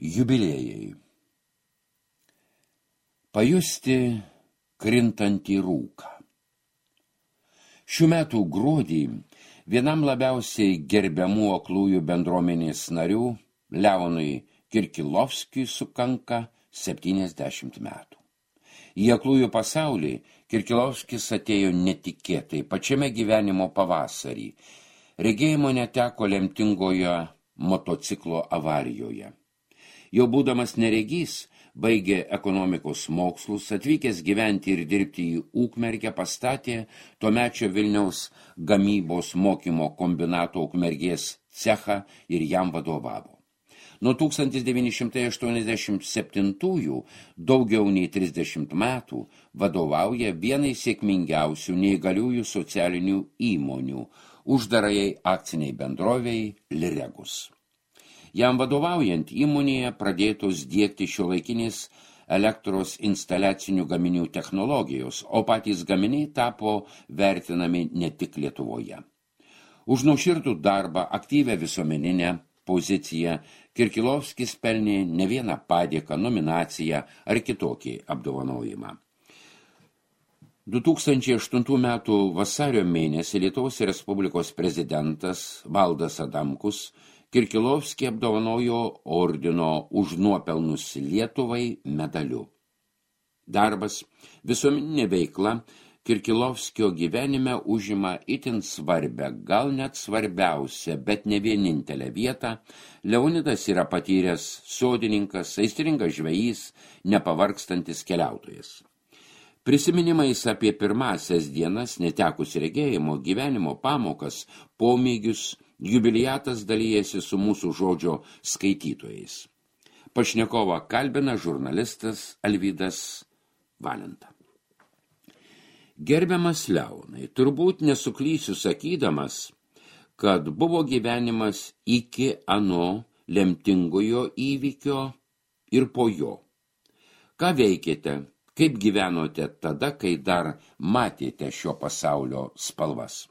Jubiliejai. Pajusti krintantį rūką. Šių metų gruodį vienam labiausiai gerbiamų aklųjų bendruomenės narių, Leonui Kirkilovskiui, sukanka 70 metų. Į aklųjų pasaulį Kirkilovskis atėjo netikėtai, pačiame gyvenimo pavasarį. Regėjimo neteko lemtingoje motociklo avarijoje. Jau būdamas neregys, baigė ekonomikos mokslus, atvykęs gyventi ir dirbti į Ukmergę, pastatė tuomečio Vilniaus gamybos mokymo kombinato Ukmergės cechą ir jam vadovavo. Nuo 1987 daugiau nei 30 metų vadovauja vienai sėkmingiausių neįgaliųjų socialinių įmonių, uždarajai akciniai bendrovei Liregus. Jam vadovaujant įmonėje pradėtos diegti šiuolaikinės elektros instaliacinių gaminių technologijos, o patys gaminiai tapo vertinami ne tik Lietuvoje. Už nuoširdų darbą, aktyvią visuomeninę poziciją Kirkilovskis pelnė ne vieną padėką, nominaciją ar kitokį apdovanojimą. 2008 metų vasario mėnesį Lietuvos Respublikos prezidentas Valdas Adamkus Kirkilovskį apdovanojo ordino už nuopelnus Lietuvai medaliu. Darbas, visuomeninė veikla Kirkilovskio gyvenime užima itin svarbę, gal net svarbiausią, bet ne vienintelę vietą. Leonidas yra patyręs sodininkas, aistringas žvejys, nepavargstantis keliautojas. Prisiminimais apie pirmąsias dienas, netekus regėjimo, gyvenimo pamokas, pomėgius, jubiliatas dalyjasi su mūsų žodžio skaitytojais. Pašnekovą kalbina žurnalistas Alvydas Valenta. Gerbiamas Leonai, turbūt nesuklysiu sakydamas, kad buvo gyvenimas iki ano lemtingojo įvykio ir po jo. Ką veikėte, kaip gyvenote tada, kai dar matėte šio pasaulio spalvas?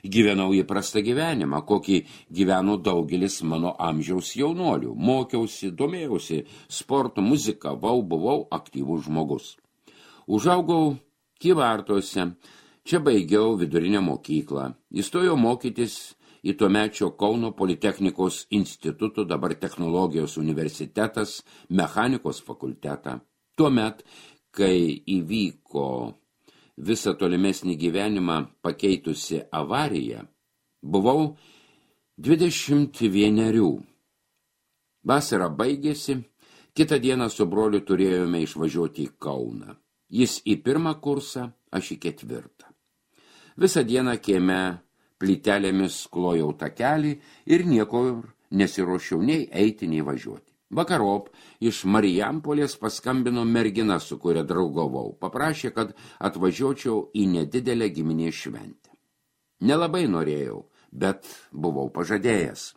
Gyvenau įprastą gyvenimą, kokį gyveno daugelis mano amžiaus jaunuolių. Mokiausi, domėjausi sportu, muzikavau, buvau aktyvus žmogus. Užaugau Kybartuose, čia baigiau vidurinę mokyklą. Įstojau mokytis į tuomečio Kauno Politechnikos instituto, dabar Technologijos universitetas, mechanikos fakultetą. Tuomet, kai įvyko visą tolimesnį gyvenimą pakeitusi avarija, buvau 21. Vasara baigėsi, kitą dieną su broliu turėjome išvažiuoti į Kauną. Jis į 1. kursą, aš į 4. Visą dieną kieme plytelėmis klojau takelį ir nieko nesiruošiau nei eiti, nei važiuoti. Vakarop iš Marijampolės paskambino mergina, su kuria draugavau. Paprašė, kad atvažiuočiau į nedidelę giminės šventę. Nelabai norėjau, bet buvau pažadėjęs.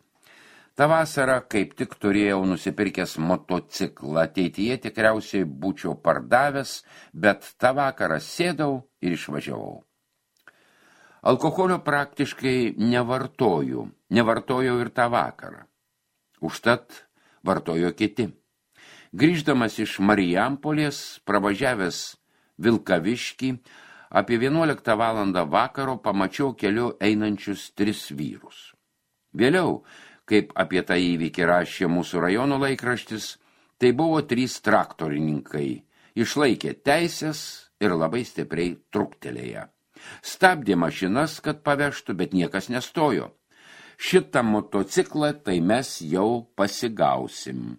Ta vasara kaip tik turėjau nusipirkęs motociklą. Ateityje tikriausiai būčiau pardavęs, bet tą vakarą sėdau ir išvažiavau. Alkoholio praktiškai nevartojau ir tą vakarą. Užtat vartojo kiti. Grįždamas iš Marijampolės, pravažiavęs Vilkaviškį, apie 11 valandą vakaro pamačiau keliu einančius 3 vyrus. Vėliau, kaip apie tą įvykį rašė mūsų rajono laikraštis, tai buvo 3 traktorininkai, išlaikė teisės ir labai stipriai truktelėję. Stabdė mašinas, kad pavežtų, bet niekas nestojo. Šitą motociklą tai mes jau pasigausim.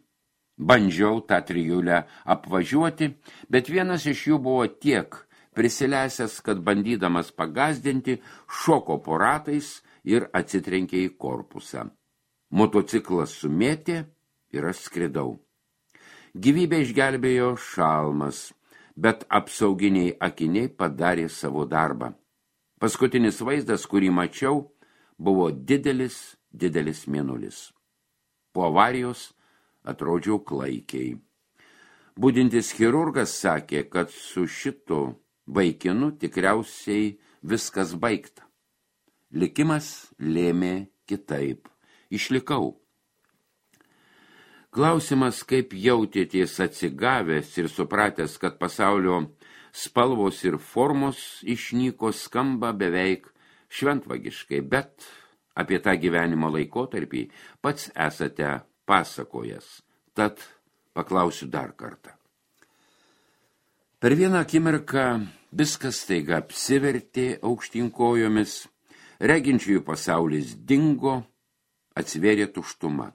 Bandžiau tą trijulę apvažiuoti, bet vienas iš jų buvo tiek prisilesęs, kad bandydamas pagazdinti, šoko po ratais ir atsitrenkė į korpusą. Motociklas sumėtė ir aš skridau. Gyvybę išgelbėjo šalmas, bet apsauginiai akiniai padarė savo darbą. Paskutinis vaizdas, kurį mačiau, buvo didelis mėnulis. Po avarijos atrodžiau klaikiai. Budintis chirurgas sakė, kad su šitu vaikinu tikriausiai viskas baigta. Likimas lėmė kitaip. Išlikau. Klausimas, kaip jautėties atsigavęs ir supratęs, kad pasaulio spalvos ir formos išnyko, skamba beveik šventvagiškai, bet apie tą gyvenimo laikotarpį pats esate pasakojęs. Tad paklausiu dar kartą. Per vieną akimirką viskas staiga apsivertė aukštyn kojomis, reginčiųjų pasaulis dingo, atsivėrė tuštuma.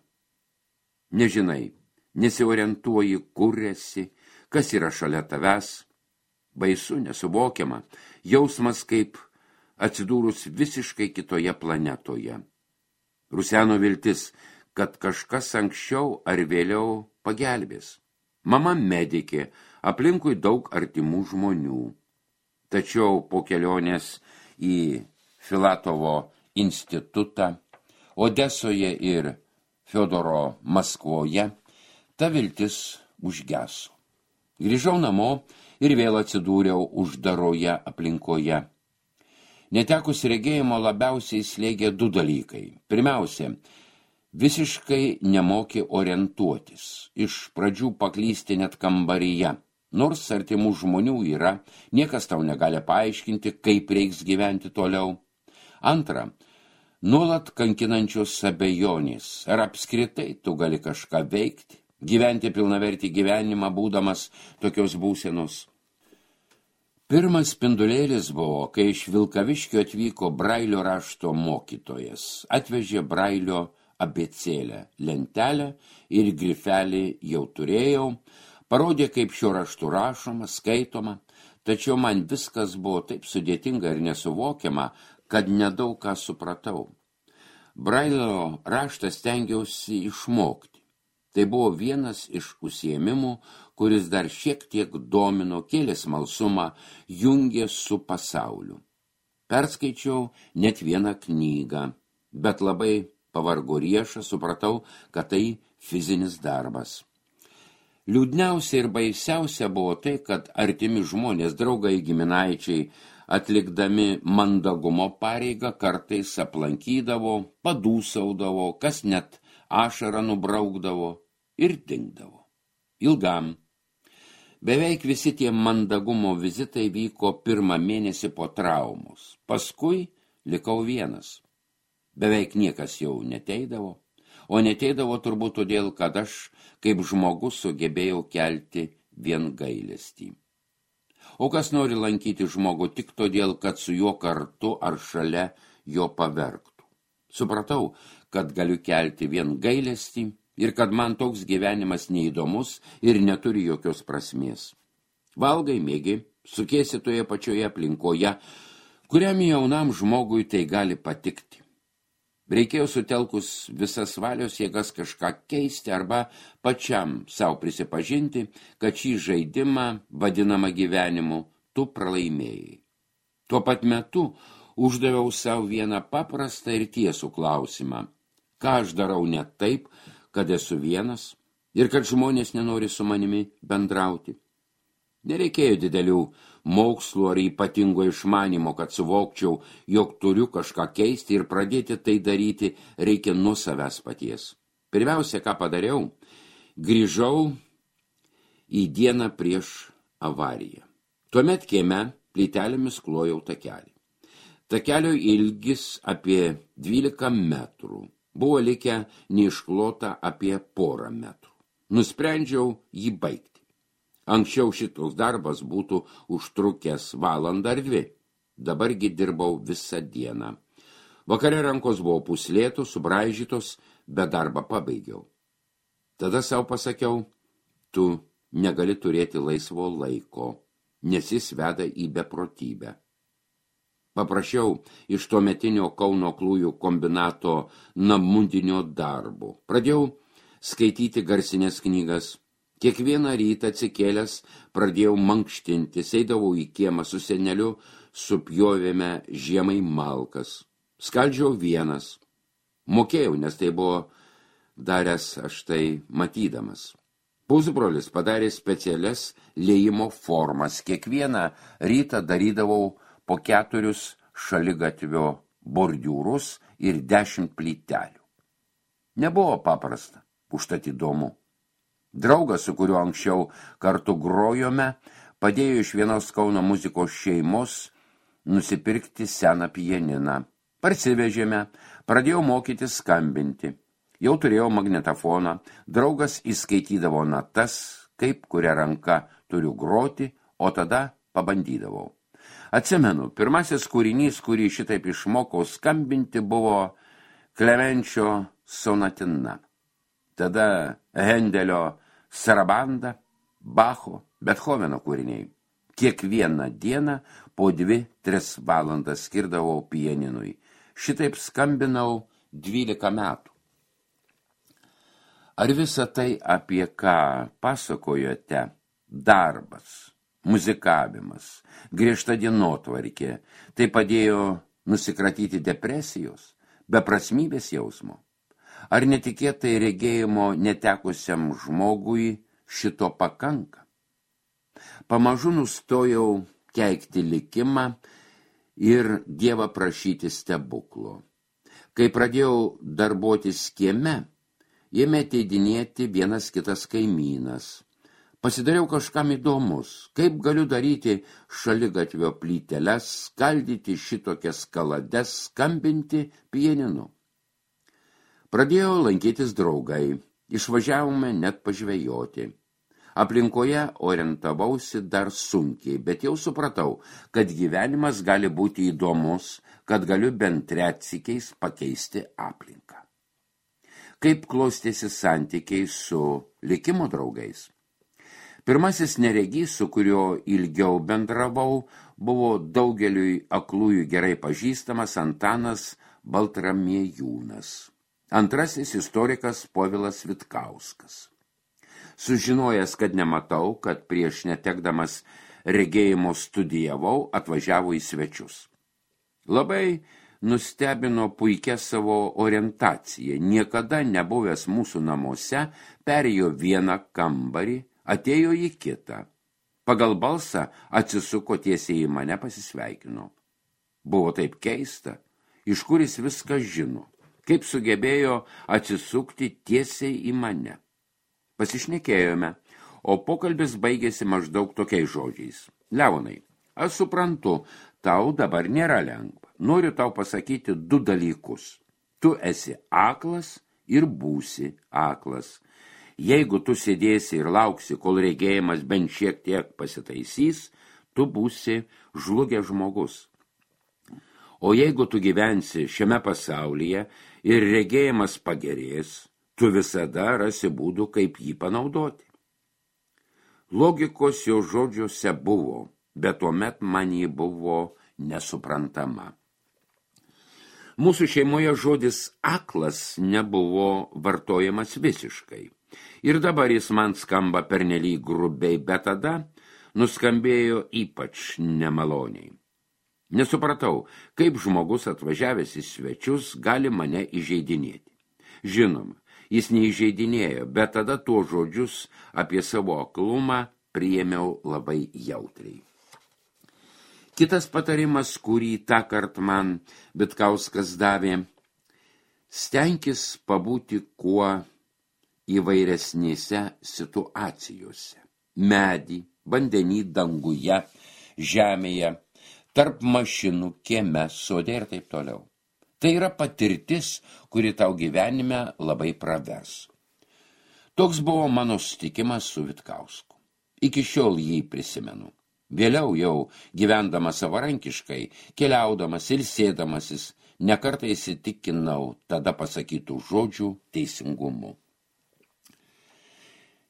Nežinai, nesiorientuoji, kur esi, kas yra šalia tavęs. Baisu, nesuvokiama, jausmas kaip atsidūrus visiškai kitoje planetoje. Ruseno viltis, kad kažkas anksčiau ar vėliau pagelbės. Mama medikė, aplinkui daug artimų žmonių. Tačiau po kelionės į Filatovo institutą, Odesoje ir Fiodoro Maskvoje, ta viltis užgeso. Grįžau namo ir vėl atsidūriau uždaroje aplinkoje. Netekus regėjimo labiausiai slėgė du dalykai. Pirmiausia, visiškai nemokė orientuotis. Iš pradžių paklysti net kambaryje. Nors artimų žmonių yra, niekas tau negali paaiškinti, kaip reiks gyventi toliau. Antra, nuolat kankinančios abejonės, ar apskritai tu gali kažką veikti, gyventi pilnavertį gyvenimą, būdamas tokios būsenos. Pirmas spindulėlis buvo, kai iš Vilkaviškio atvyko Brailio rašto mokytojas. Atvežė Brailio abėcėlę, lentelę ir grifelį jau turėjau, parodė, kaip šiuo raštu rašoma, skaitoma, tačiau man viskas buvo taip sudėtinga ir nesuvokiama, kad nedaug ką supratau. Brailio raštą stengiausi išmokti. Tai buvo vienas iš užsiėmimų, kuris dar šiek tiek domino, kėlė smalsumą, jungė su pasauliu. Perskaičiau net vieną knygą, bet labai pavargo riešą, supratau, kad tai fizinis darbas. Liūdniausia ir baisiausia buvo tai, kad artimi žmonės, draugai, giminaičiai, atlikdami mandagumo pareigą, kartais aplankydavo, padūsaudavo, kas net ašarą nubraukdavo ir dingdavo. Ilgam. Beveik visi tie mandagumo vizitai vyko 1 mėnesį po traumos. Paskui likau vienas. Beveik niekas jau neteidavo, o neteidavo turbūt todėl, kad aš kaip žmogus sugebėjau kelti vien gailestį. O kas nori lankyti žmogų tik todėl, kad su juo kartu ar šalia jo paverktų. Supratau, kad galiu kelti vien gailestį ir kad man toks gyvenimas neįdomus ir neturi jokios prasmės. Valgai, mėgi, sukiesi toje pačioje aplinkoje, kuriam jaunam žmogui tai gali patikti. Reikėjo sutelkus visas valios jėgas kažką keisti arba pačiam savo prisipažinti, kad šį žaidimą, vadinamą gyvenimu, tu pralaimėjai. Tuo pat metu uždaviau savo vieną paprastą ir tiesų klausimą. Ką aš darau ne taip, kad esu vienas ir kad žmonės nenori su manimi bendrauti. Nereikėjo didelių mokslų ar ypatingo išmanimo, kad suvokčiau, jog turiu kažką keisti ir pradėti tai daryti reikia nuo savęs paties. Pirmiausia, ką padariau, grįžau į dieną prieš avariją. Tuomet kieme plytelėmis klojau takelį. Takelio ilgis apie 12 metrų. Buvo likę neišklota apie 1 metrų. Nusprendžiau jį baigti. Anksčiau šitos darbas būtų užtrukęs 1 valandą ar 2. Dabargi dirbau visą dieną. Vakare rankos buvo puslėtos, subraižytos, bet darbą pabaigiau. Tada savo pasakiau, tu negali turėti laisvo laiko, nes jis veda į beprotybę. Paprašiau iš tuometinio Kauno Aklųjų kombinato namudinio darbo. Pradėjau skaityti garsinės knygas. Kiekvieną rytą atsikėlęs pradėjau mankštintis, eidavau į kiemą su seneliu, supjovėme žiemai malkas. Skaldžiau vienas. Mokėjau, nes tai buvo daręs aš tai matydamas. Pusbrolis padarė specialias liejimo formas. Kiekvieną rytą darydavau po 4 šaligatvio bordiūrus ir 10 plytelių. Nebuvo paprasta, užtat įdomu. Draugas, su kuriuo anksčiau kartu grojome, padėjo iš vienos Kauno muzikos šeimos nusipirkti seną pianiną. Parsivežėme, pradėjau mokyti skambinti. Jau turėjau magnetofoną, draugas įskaitydavo natas, kaip kuria ranka turiu groti, o tada pabandydavau. Atsimenu, pirmasis kūrinys, kurį šitaip išmokau skambinti, buvo Klemenčio sonatina. Tada Hendelio sarabanda, Bacho, Bethoveno kūriniai. Kiekvieną dieną po 2-3 valandas skirdavau pianinui. Šitaip skambinau 12 metų. Ar visa tai, apie ką pasakojote, darbas, muzikavimas, griežta dienotvarkė, tai padėjo nusikratyti depresijos, beprasmybės jausmo? Ar netikėtai regėjimo netekusiam žmogui šito pakanka? Pamažu nustojau keikti likimą ir Dievą prašyti stebuklo. Kai pradėjau darbuotis kieme, ėmė ateidinėti vienas kitas kaimynas. Pasidariau kažkam įdomus, kaip galiu daryti šaligatvio plyteles, skaldyti šitokias kalades, skambinti pianinu. Pradėjau lankytis draugai, išvažiavome net pažvejoti. Aplinkoje orientavausi dar sunkiai, bet jau supratau, kad gyvenimas gali būti įdomus, kad galiu bent retsykiais pakeisti aplinką. Kaip klostėsi santykiai su likimo draugais? Pirmasis neregys, su kuriuo ilgiau bendravau, buvo daugeliui aklųjų gerai pažįstamas Antanas Baltramiejūnas. Antrasis istorikas Povilas Vitkauskas. Sužinojęs, kad nematau, kad prieš netekdamas regėjimo studijavau, atvažiavo į svečius. Labai nustebino puikia savo orientacija. Niekada nebuvęs mūsų namuose, perėjo vieną kambarį, atėjo į kitą. Pagal balsą atsisuko tiesiai į mane, pasisveikino. Buvo taip keista, iš kur jis viską žino, kaip sugebėjo atsisukti tiesiai į mane. Pasišnekėjome, o pokalbis baigėsi maždaug tokiais žodžiais. Leonai, aš suprantu, tau dabar nėra lengva. Noriu tau pasakyti 2 dalykus. Tu esi aklas ir būsi aklas. Jeigu tu sėdėsi ir lauksi, kol regėjimas bent šiek tiek pasitaisys, tu būsi žlugęs žmogus. O jeigu tu gyvensi šiame pasaulyje ir regėjimas pagerės, tu visada rasi būdų, kaip jį panaudoti. Logikos jo žodžiuose buvo, bet tuomet man jį buvo nesuprantama. Mūsų šeimoje žodis aklas nebuvo vartojamas visiškai. Ir dabar jis man skamba pernelyg grubiai, bet tada nuskambėjo ypač nemaloniai. Nesupratau, kaip žmogus atvažiavęs į svečius gali mane įžeidinėti. Žinoma, jis neįžeidinėjo, bet tada tuos žodžius apie savo aklumą priėmiau labai jautriai. Kitas patarimas, kurį tąkart man Vitkauskas davė, stenkis pabūti kuo įvairesnėse situacijose. Medį, vandenį, danguje, žemėje, tarp mašinų, kieme, sode ir taip toliau. Tai yra patirtis, kuri tau gyvenime labai pravers. Toks buvo mano susitikimas su Vitkausku. Iki šiol jį prisimenu. Vėliau jau gyvendamas savarankiškai, keliaudamas ir sėdamasis, nekartą įsitikinau tada pasakytų žodžių teisingumu.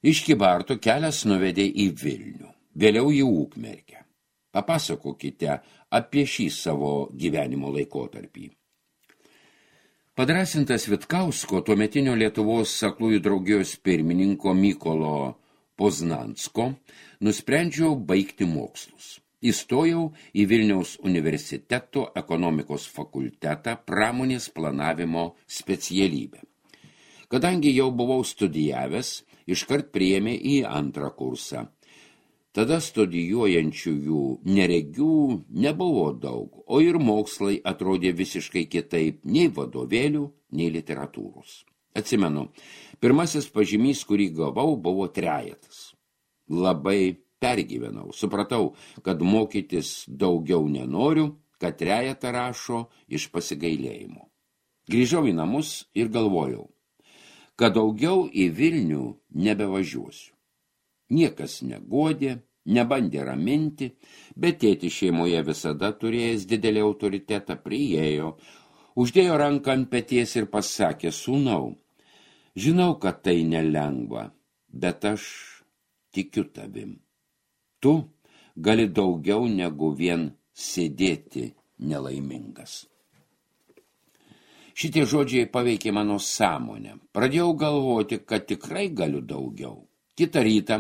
Iš Kybartų kelias nuvedė į Vilnių, vėliau į Ukmergę. Papasakokite apie šį savo gyvenimo laikotarpį. Padrasintas Vitkausko, tuometinio Lietuvos aklųjų draugijos pirmininko Mykolo Poznansko, nusprendžiau baigti mokslus. Įstojau į Vilniaus universiteto ekonomikos fakultetą pramonės planavimo specialybę. Kadangi jau buvau studijavęs, iškart priėmė į 2 kursą. Tada studijuojančiųjų neregių nebuvo daug, o ir mokslai atrodė visiškai kitaip, nei vadovėlių, nei literatūros. Atsimenu, Pirmasis pažymys, kurį gavau, buvo trejetas. Labai pergyvenau. Supratau, kad mokytis daugiau nenoriu, kad trejetą rašo iš pasigailėjimo. Grįžau į namus ir galvojau, kad daugiau į Vilnių nebevažiuosiu. Niekas negodė, nebandė raminti, bet tėtis šeimoje visada turėjęs didelį autoritetą priėjo, uždėjo ranką ant peties ir pasakė, sūnau, žinau, kad tai nelengva, bet aš tikiu tavim. Tu gali daugiau negu vien sėdėti nelaimingas. Šitie žodžiai paveikė mano sąmonę. Pradėjau galvoti, kad tikrai galiu daugiau. Kitą rytą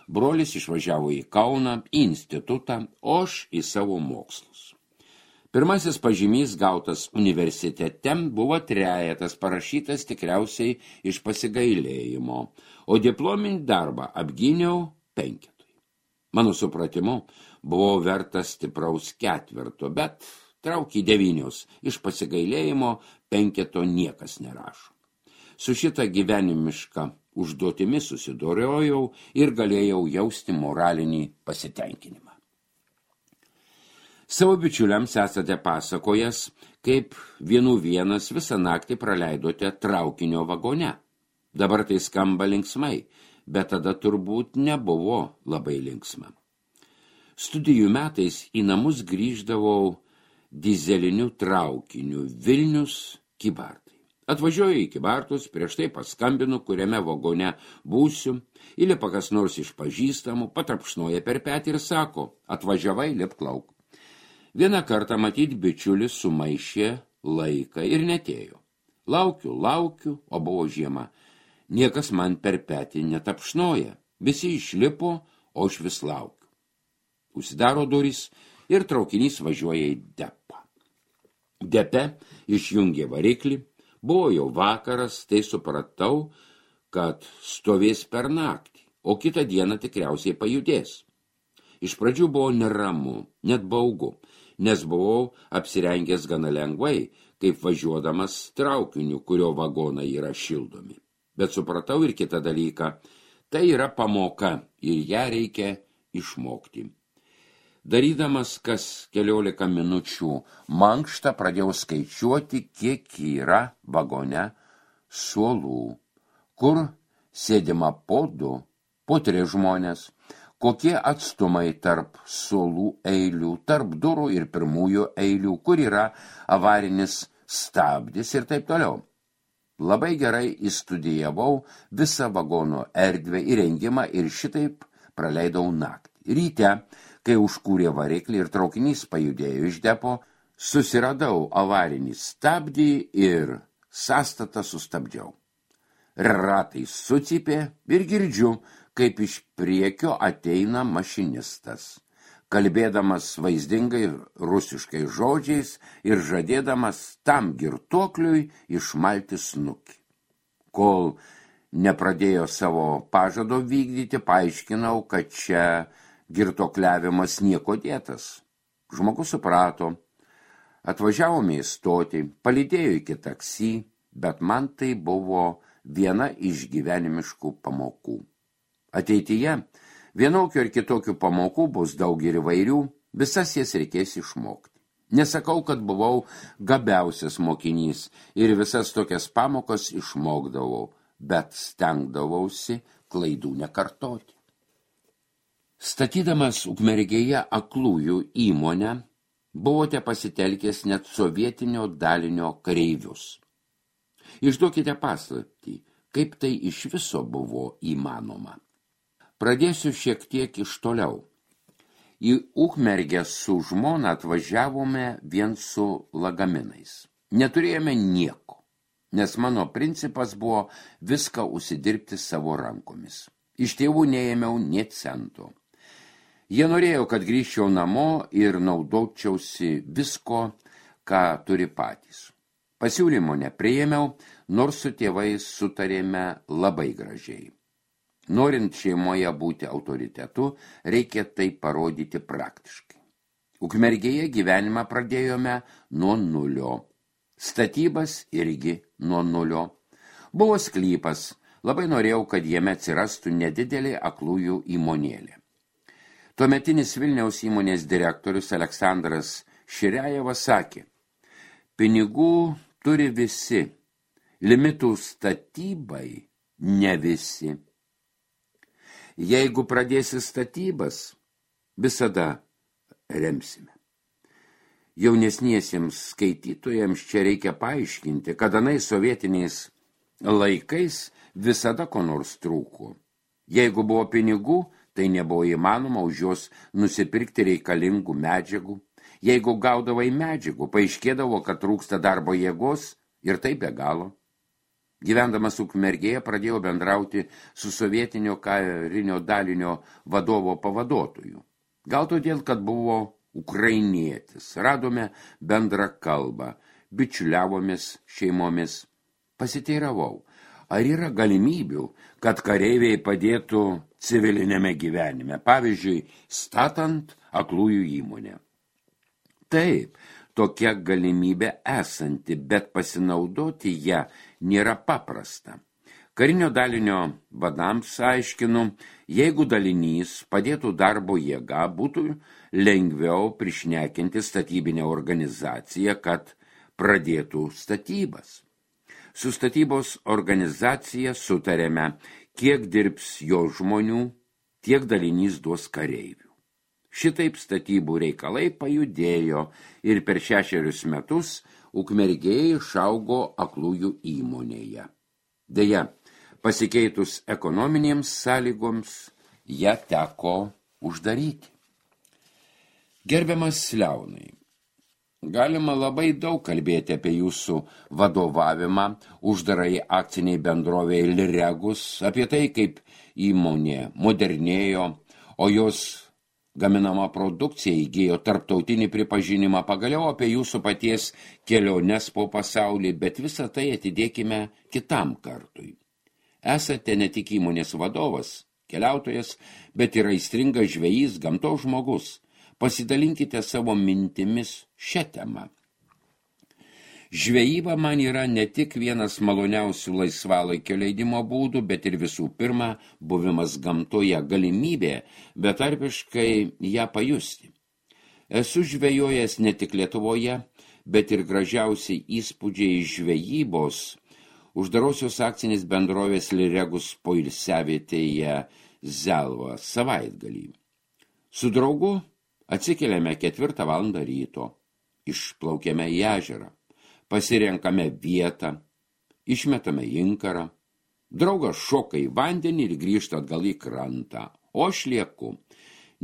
brolis išvažiavo į Kauną, į institutą, o aš į savo mokslus. Pirmasis pažymys gautas universitete buvo trejetas, parašytas tikriausiai iš pasigailėjimo, o diplominį darbą apgyniau 5. Mano supratimu, buvau vertas stipraus 4, bet traukį 9, iš pasigailėjimo 5 niekas nerašo. Su šitą gyvenimišką užduotimi susidorojau ir galėjau jausti moralinį pasitenkinimą. Savo bičiuliams esate pasakojęs, kaip vienas visą naktį praleidote traukinio vagone. Dabar tai skamba linksmai, bet tada turbūt nebuvo labai linksma. Studijų metais į namus grįždavau dizeliniu traukiniu Vilnius Kybartai. Atvažiuoju į Kybartus, prieš tai paskambinu, kuriame vagone būsiu, įlipa kas nors iš pažįstamų, patrapšnoja per petį ir sako, atvažiavai, lipk lauk. Vieną kartą matyt bičiulis sumaišė laiką ir netėjo. Laukiu, o buvo žiema. Niekas man per petį netapšnoja. Visi išlipo, o aš vis laukiu. Užsidaro durys ir traukinys važiuoja į depą. Depe išjungė variklį. Buvo jau vakaras, tai supratau, kad stovės per naktį, o kitą dieną tikriausiai pajudės. Iš pradžių buvo neramu, net baugu, nes buvau apsirengęs gana lengvai, kaip važiuodamas traukiniu, kurio vagonai yra šildomi. Bet supratau ir kitą dalyką, tai yra pamoka ir ją reikia išmokti. Darydamas kas 14 minučių mankštą, pradėjau skaičiuoti, kiek yra vagone suolų, kur sėdima po 2, po 3 žmonės, kokie atstumai tarp suolų eilių, tarp durų ir pirmųjų eilių, kur yra avarinis stabdis ir taip toliau. Labai gerai įstudijavau visą vagono erdvę įrengimą ir šitaip praleidau naktį. Ryte, kai užkūrė variklį ir traukinys pajudėjo iš depo, susiradau avarinį stabdį ir sąstatą sustabdžiau. Ratai sucypė ir girdžiu, kaip iš priekio ateina mašinistas, kalbėdamas vaizdingai rusiškai žodžiais ir žadėdamas tam girtuokliui išmalti snukį. Kol nepradėjo savo pažado vykdyti, paaiškinau, kad čia girtuokliavimas nieko dėtas. Žmogus suprato, atvažiavome į stotį, palydėjo iki taksi, bet man tai buvo viena iš gyvenimiškų pamokų. Ateityje vienokių ir kitokių pamokų bus daug ir įvairių, visas jas reikės išmokti. Nesakau, kad buvau gabiausias mokinys ir visas tokias pamokas išmokdavau, bet stengdavausi klaidų nekartoti. Statydamas Ukmergėje aklųjų įmonę, buvote pasitelkęs net sovietinio dalinio kareivius. Išduokite paslaptį, kaip tai iš viso buvo įmanoma. Pradėsiu šiek tiek iš toliau. Į Ukmergę su žmona atvažiavome vien su lagaminais. Neturėjome nieko, nes mano principas buvo viską užsidirbti savo rankomis. Iš tėvų neėmiau nė cento. Jie norėjo, kad grįžčiau namo ir naudočiausi visko, ką turi patys. Pasiūlymo nepriėmiau, nors su tėvais sutarėme labai gražiai. Norint šeimoje būti autoritetu, reikia tai parodyti praktiškai. Ukmergėje gyvenimą pradėjome nuo 0. Statybas irgi nuo 0. Buvo sklypas, Labai norėjau, kad jame atsirastų nedidelė aklųjų įmonėlė. Tuometinis Vilniaus įmonės direktorius Aleksandras Širiajevas sakė: pinigų turi visi, limitų statybai ne visi. Jeigu pradėsi statybas, visada remsime. Jaunesniesiems skaitytojams čia reikia paaiškinti, kad anais sovietiniais laikais visada ko nors trūko. Jeigu buvo pinigų, tai nebuvo įmanoma už juos nusipirkti reikalingų medžiagų. Jeigu gaudavai medžiagų, paaiškėdavo, kad trūksta darbo jėgos ir tai be galo. Gyvendamas Ukmergėje pradėjau bendrauti su sovietinio karinio dalinio vadovo pavaduotoju. Gal todėl, kad buvo ukrainietis. Radome bendrą kalbą, bičiuliavomės šeimomis. Pasiteiravau, ar yra galimybių, kad kareiviai padėtų civilinėme gyvenime, pavyzdžiui, statant aklųjų įmonę. Taip, tokia galimybė esanti, bet pasinaudoti ją nėra paprasta. Karinio dalinio vadams aiškinu, jeigu dalinys padėtų darbo jėga, būtų lengviau prišnekinti statybinę organizaciją, kad pradėtų statybas. Su statybos organizacija sutarėme, kiek dirbs jo žmonių, tiek dalinys duos kareivių. Šitaip statybų reikalai pajudėjo ir per 6 metus Ukmergėje išaugo aklųjų įmonėje. Deja, pasikeitus ekonominėms sąlygoms, ją teko uždaryti. Gerbiamas Leonai, galima labai daug kalbėti apie jūsų vadovavimą uždarai akciniai bendrovei Liregus, apie tai, kaip įmonė modernėjo, o jos gaminama produkcija įgijo tarptautinį pripažinimą, pagaliau apie jūsų paties keliones po pasaulį, bet visą tai atidėkime kitam kartui. Esate ne tik įmonės vadovas, keliautojas, bet ir aistringas žvejys, gamtos žmogus. Pasidalinkite savo mintimis šią temą. Žvejyba man yra ne tik vienas maloniausių laisvalaikio leidimo būdų, bet ir visų pirma buvimas gamtoje, galimybė betarpiškai ją pajusti. Esu žvejojęs ne tik Lietuvoje, bet ir gražiausiai įspūdžiai žvejybos uždarosios akcinės bendrovės Liregus poilsiavietėje Zelva savaitgalį. Su draugu atsikeliame 4 valandą ryto, išplaukiame į ežerą, pasirenkame vietą, išmetame inkarą, draugas šoka į vandenį ir grįžta atgal į krantą, o aš lieku.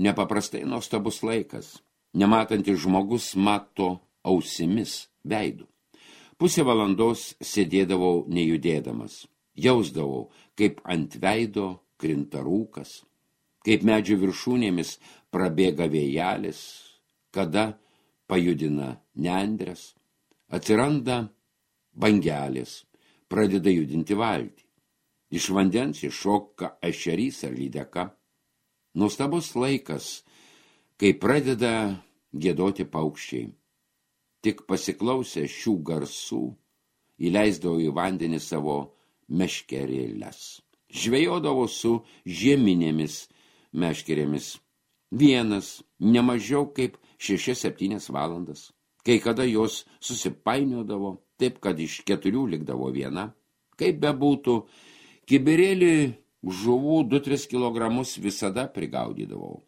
Nepaprastai nuostabus laikas, nematantis žmogus mato ausimis, veidu. Pusę valandos sėdėdavau nejudėdamas, jausdavau, kaip ant veido krinta rūkas, kaip medžių viršūnėmis prabėga vėjelis, kada pajudina nendres, atsiranda bangelės, pradeda judinti valtį. Iš vandens iššoka ešerys ar lydeka. Nuostabus laikas, kai pradeda giedoti paukščiai. Tik pasiklausę šių garsų, įleisdavo į vandenį savo meškerėles. Žvejodavo su žieminėmis meškerėmis. Vienas, nemažiau kaip 6-7 valandas. Kai kada jos susipainiodavo, taip kad iš 4 likdavo viena. Kaip bebūtų, kibirėlį žuvų 2-3 kilogramus visada prigaudydavau.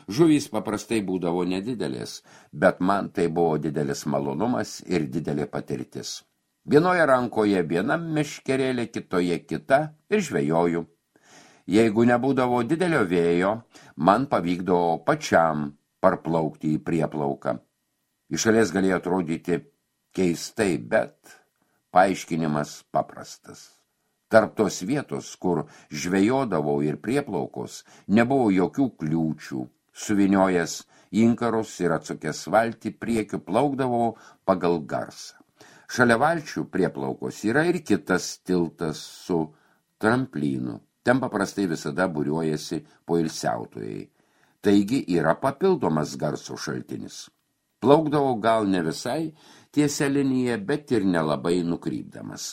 Žuvys paprastai būdavo nedidelės, bet man tai buvo didelis malonumas ir didelė patirtis. Vienoje rankoje viena meškerėlė, kitoje kita ir žvejoju. Jeigu nebūdavo didelio vėjo, man pavykdavo pačiam parplaukti į prieplauką. Iš šalies galėjo atrodyti keistai, bet paaiškinimas paprastas. Tarp tos vietos, kur žvejodavau ir prieplaukos, nebuvo jokių kliūčių. Suviniojęs inkarus ir atsukęs valtį priekiu plaukdavau pagal garsą. Šalia valčių prieplaukos yra ir kitas tiltas su tramplynu. Ten paprastai visada būriuojasi poilsiautojai. Taigi yra papildomas garso šaltinis. Plaukdavau gal ne visai tiesia linija, bet ir nelabai nukrypdamas.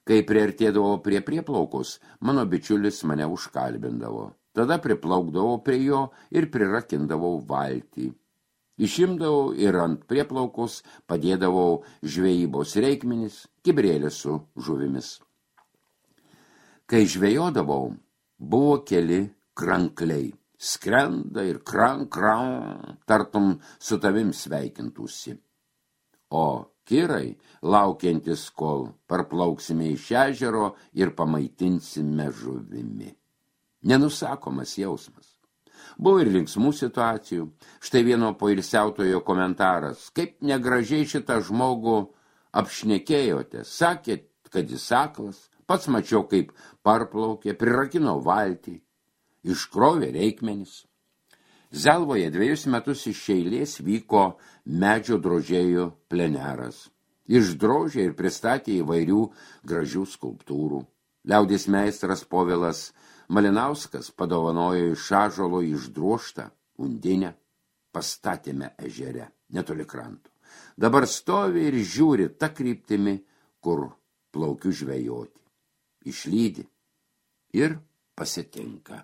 Kai priartėdavo prie prieplaukos, mano bičiulis mane užkalbindavo. Tada priplaukdavau prie jo ir prirakindavau valtį. Išimdavau ir ant prieplaukos padėdavau žvejybos reikmenis, kibirėlį su žuvimis. Kai žvejodavau, buvo keli krankliai. Skrenda ir krank, tartum su tavim sveikintųsi. O kirai, laukiantis, kol parplauksime iš ežero ir pamaitinsime žuvimi. Nenusakomas jausmas. Buvo ir linksmų situacijų. Štai vieno poilsiautojo komentaras. Kaip negražiai šitą žmogų apšnekėjote. Sakėt, kad jis aklas. Pats mačiau, kaip parplaukė, prirakino valtį. Iškrovė reikmenis. Zelvoje 2 metus iš eilės vyko medžio drožėjų pleneras. Išdrožė ir pristatė įvairių gražių skulptūrų. Liaudės meistras Povilas Malinauskas padovanojo iš ąžuolo išdrožtą undinę. Pastatėme ežere, netoli kranto. Dabar stovi ir žiūri ta kryptimi, kur plaukiu žvejoti. Išlydi ir pasitinka.